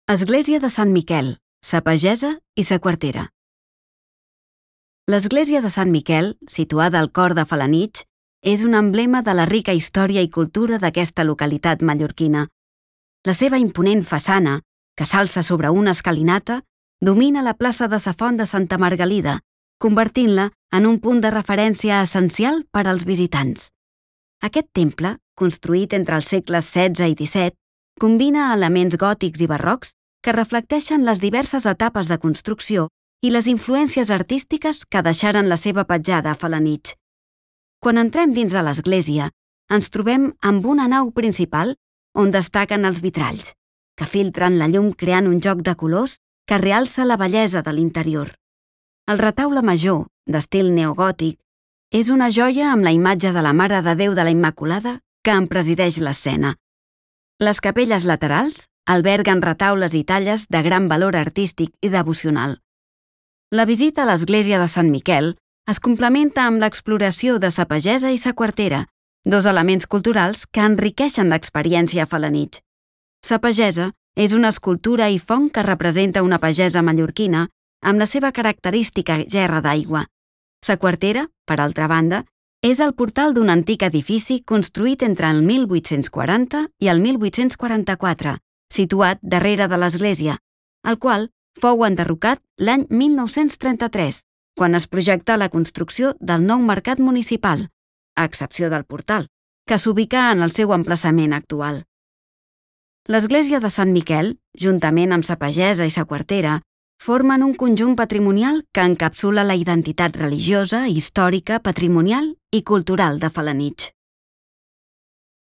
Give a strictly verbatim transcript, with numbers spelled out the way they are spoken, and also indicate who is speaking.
Speaker 1: Església de Sant Miquel, sa pagesa i sa quartera. L'església de Sant Miquel, situada al cor de Felanitx, és un emblema de la rica història i cultura d'aquesta localitat mallorquina. La seva imponent façana, que s'alça sobre una escalinata, domina la plaça de sa Font de Santa Margalida, convertint-la en un punt de referència essencial per als visitants. Aquest temple, construït entre els segles setze i disset, combina elements gòtics i barrocs que reflecteixen les diverses etapes de construcció i les influències artístiques que deixaren la seva petjada a Felanitx. Quan entrem dins de l'església, ens trobem amb una nau principal on destaquen els vitralls, que filtren la llum creant un joc de colors que realça la bellesa de l'interior. El retaule major, d'estil neogòtic, és una joia amb la imatge de la Mare de Déu de la Immaculada que en presideix l'escena. Les capelles laterals alberguen retaules i talles de gran valor artístic i devocional. La visita a l'església de Sant Miquel es complementa amb l'exploració de sa pagesa i sa quartera, dos elements culturals que enriqueixen l'experiència a Felanitx. Sa pagesa és una escultura i font que representa una pagesa mallorquina amb la seva característica gerra d'aigua. Sa quartera, per altra banda, és el portal d'un antic edifici construït entre el mil vuit-cents quaranta i el mil vuit-cents quaranta-quatre, situat darrere de l'església, el qual fou enderrocat l'any mil nou-cents trenta-tres, quan es projectà la construcció del nou mercat municipal, a excepció del portal, que s'ubica en el seu emplaçament actual. L'església de Sant Miquel, juntament amb sa pagesa i sa quartera, formen un conjunt patrimonial que encapsula la identitat religiosa, històrica, patrimonial i cultural de Felanitx.